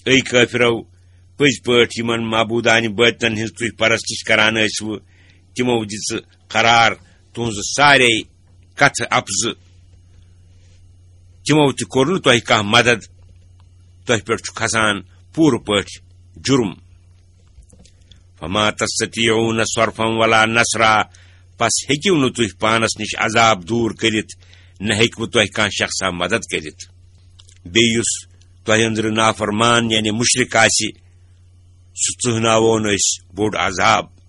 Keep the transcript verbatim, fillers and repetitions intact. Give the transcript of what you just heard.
A کٲفرو، پٔزۍ پٲٹھۍ یِمن معبوٗدانہِ بٲطنن ہٕنٛز تُہۍ پرستش کران ٲسوٕ، تِمو دِژٕ قرار تُہنٛزٕ سارے کتھٕ اپزٕ۔ تِمو تہِ کوٚر نہٕ تۄہہِ کانٛہہ مدد۔ تۄہہِ پٮ۪ٹھ چھُ کھسان پوٗرٕ پٲٹھۍ جُرم۔ فما تستطيعون صرفا ولا نصرا، پس ہیٚکِو نہٕ تُہۍ پانس نِش عذاب دوٗر کٔرِتھ، نہ ہیٚکِوٕ تۄہہِ کانٛہہ شخصا مدد کٔرِتھ۔ بیٚیہِ یُس تۄہہِ أنٛدرٕ نافرمان یعنی مُشرِک آسہِ، سُہ ژٕہناوون أسۍ بوٚڑ عذاب۔